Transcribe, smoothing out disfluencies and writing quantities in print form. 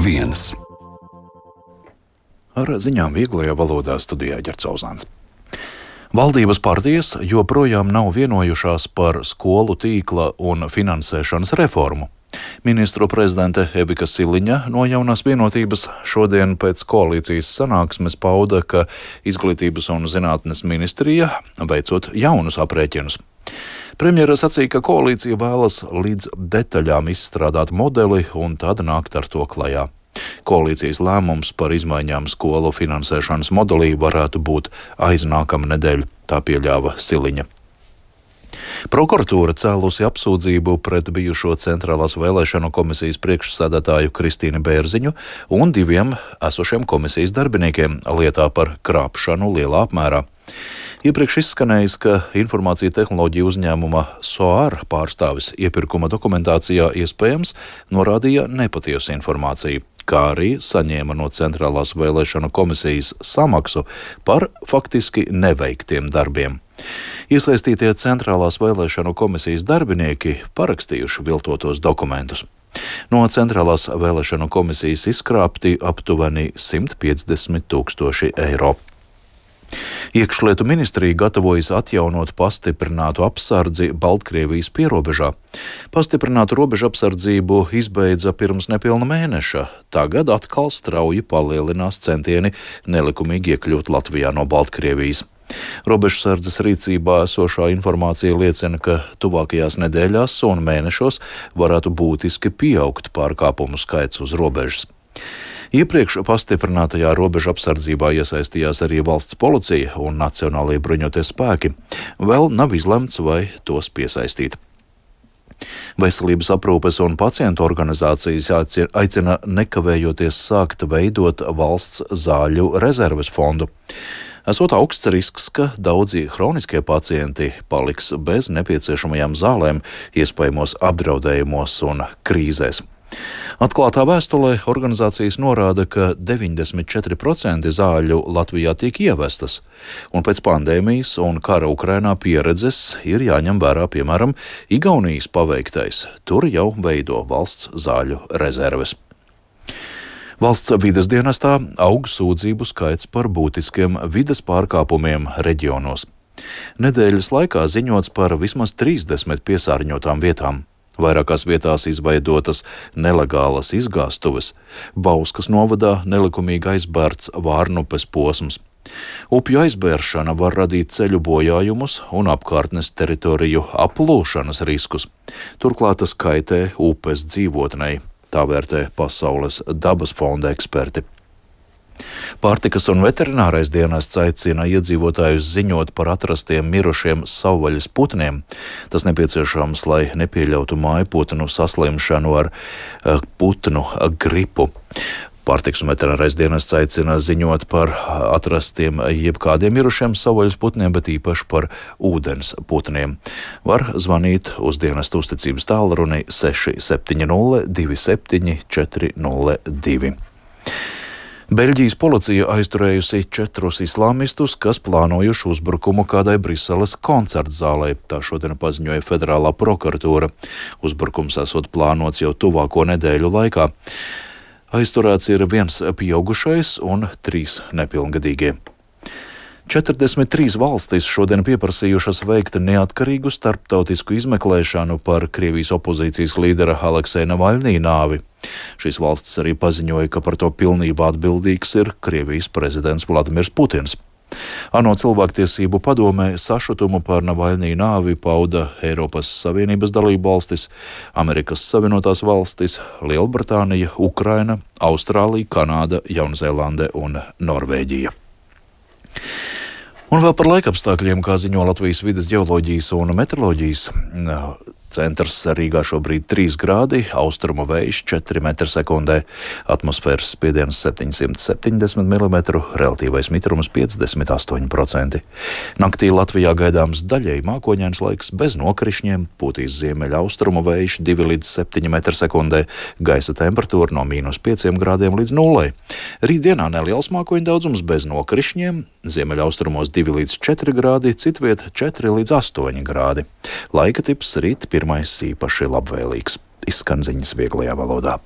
viens. Ar ziņām vieglajā valodā studijā Ģerts Ozāns. Valdības partijas joprojām nav vienojušās par skolu tīkla un finansēšanas reformu. Ministru prezidente Evika Siliņa no jaunās vienotības šodien pēc koalīcijas sanāksmes pauda, ka Izglītības un zinātnes ministrija veicot jaunus aprēķinus. Premjera sacīja, ka koalīcija vēlas līdz detaļām izstrādāt modeli un tad nākt ar to klajā. Koalīcijas lēmums par izmaiņām skolu finansēšanas modelī varētu būt aiznākama nedēļa, tā pieļāva Siliņa. Prokuratūra cēlusi apsūdzību pret bijušo Centrālās vēlēšanu komisijas priekšsēdētāju Kristīnu Bērziņu un 2 esošiem komisijas darbiniekiem lietā par krāpšanu lielā apmērā. Iepriekš izskanējis, ka informācija tehnoloģiju uzņēmuma SOAR pārstāvis iepirkuma dokumentācijā iespējams norādīja nepatiesu informāciju, kā arī saņēma no Centrālās vēlēšanu komisijas samaksu par faktiski neveiktiem darbiem. Iesaistītie Centrālās vēlēšanu komisijas darbinieki parakstījuši viltotos dokumentus. No Centrālās vēlēšanu komisijas izkrāpti aptuveni 150 000 eiro. Iekšlietu ministrija gatavojas atjaunot pastiprinātu apsardzi Baltkrievijas pierobežā. Pastiprinātu robežu apsardzību izbeidza pirms nepilna mēneša. Tagad atkal strauji palielinās centieni nelikumīgi iekļūt Latvijā no Baltkrievijas. Robežsardzes rīcībā esošā informācija liecina, ka tuvākajās nedēļās un mēnešos varētu būtiski pieaugt pārkāpumu skaits uz robežas. Iepriekš pastiprinātajā robežu apsardzībā iesaistījās arī valsts policija un Nacionālajie bruņotie spēki. Vēl nav izlemts, vai tos piesaistīt. Veselības aprūpes un pacientu organizācijas aicina nekavējoties sākt veidot valsts zāļu rezerves fondu. Esot augsts risks, ka daudzi hroniskie pacienti paliks bez nepieciešamajām zālēm, iespējamos apdraudējumos un krīzēs. Atklātā vēstulē organizācijas norāda, ka 94% zāļu Latvijā tiek ievestas, un pēc pandēmijas un kara Ukrainā pieredzes ir jāņem vērā, piemēram, Igaunijas paveiktais. Tur jau veido valsts zāļu rezerves. Valsts vides dienestā aug sūdzību skaits par būtiskiem vides pārkāpumiem reģionos. Nedēļas laikā ziņots par vismaz 30 piesārņotām vietām. Vairākās vietās izveidotas nelegālas izgāstuves, Bauskas novadā nelikumīgi aizbērts Vārnupes posms. Upju aizbēršana var radīt ceļu bojājumus un apkārtnes teritoriju aplūšanas riskus. Turklāt tas kaitē upes dzīvotnei, tā vērtē Pasaules dabas fonda eksperti. Pārtikas un veterinārais dienests aicina iedzīvotājus ziņot par atrastiem mirušiem savvaļas putniem. Tas nepieciešams, lai nepieļautu mājputnu saslimšanu ar putnu gripu. Pārtikas un veterinārais dienests aicina ziņot par atrastiem jebkādiem mirušiem savvaļas putniem, bet īpaši par ūdens putniem. Var zvanīt uz dienestu uzticības tālruni 670 27 402. Beļģijas policija aizturējusi 4 islāmistus, kas plānojuši uzbrukumu kādai Briseles koncertzālē. Tā šodien paziņoja Federālā prokuratūra. Uzbrukums esot plānots jau tuvāko nedēļu laikā. Aizturēts ir 1 pieaugušais un 3 nepilngadīgie. 43 valstis šodien pieprasījušas veikt neatkarīgu starptautisku izmeklēšanu par Krievijas opozīcijas līdera Aleksēja Navaļnī nāvi. Šīs valstis arī paziņoja, ka par to pilnībā atbildīgs ir Krievijas prezidents Vladimirs Putins. ANO cilvēktiesību padomē sašutumu par Navaļnī nāvi pauda Eiropas Savienības dalību valstis, Amerikas Savienotās valstis, Lielbritānija, Ukraina, Austrālija, Kanāda, Jaunzēlande un Norvēģija. Un vēl par laikapstākļiem, kā ziņo Latvijas vides ģeoloģijas un meteoroloģijas centrs. Rīgā šobrīd 3 grādi, austrumu vējš 4 m/sekundē, atmosfēras spiediens 770 mm, relatīvais mitrums 58%. Naktī Latvijā gaidāms daļēji mākoņains laiks bez nokrišņiem, pūtīs ziemeļa austrumu vējš 2 līdz 7 m/sekundē, gaisa temperatūra no -5 grādiem līdz 0. Rītdienā neliels mākoņu daudzums bez nokrišņiem, ziemeļa austrumos 2 līdz 4 grādi, citviet 4 līdz 8 grādi. Laika tips rīt pirmais īpaši labvēlīgs. Izskan ziņas vieglajā valodā.